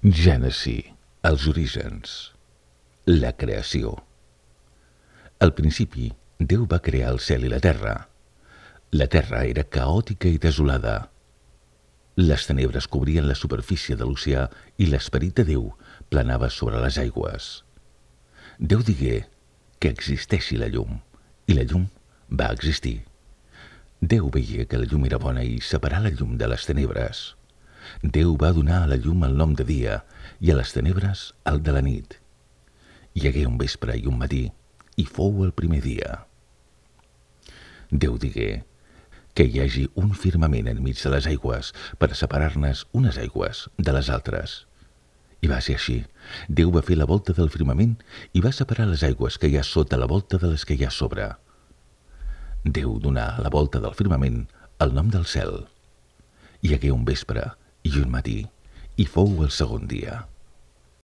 Gènesi, els orígens, la creació. Al principi, Déu va crear el cel i la terra. La terra era caòtica i desolada. Les tenebres cobrien la superfície de l'oceà i l'esperit de Déu planava sobre les aigües. Déu digué que existeixi la llum, i la llum va existir. Déu veia que la llum era bona i separà la llum de les tenebres. Déu va donar a la llum el nom de dia i a les tenebres el de la nit. Hi hagué un vespre i un matí, i fou el primer dia. Déu digué que hi hagi un firmament enmig de les aigües per separar-ne unes aigües de les altres. I va ser així. Déu va fer la volta del firmament i va separar les aigües que hi ha sota la volta de les que hi ha sobre. Déu donà a la volta del firmament el nom del cel. Hi hagué un vespre i un matí, i fou el segon dia.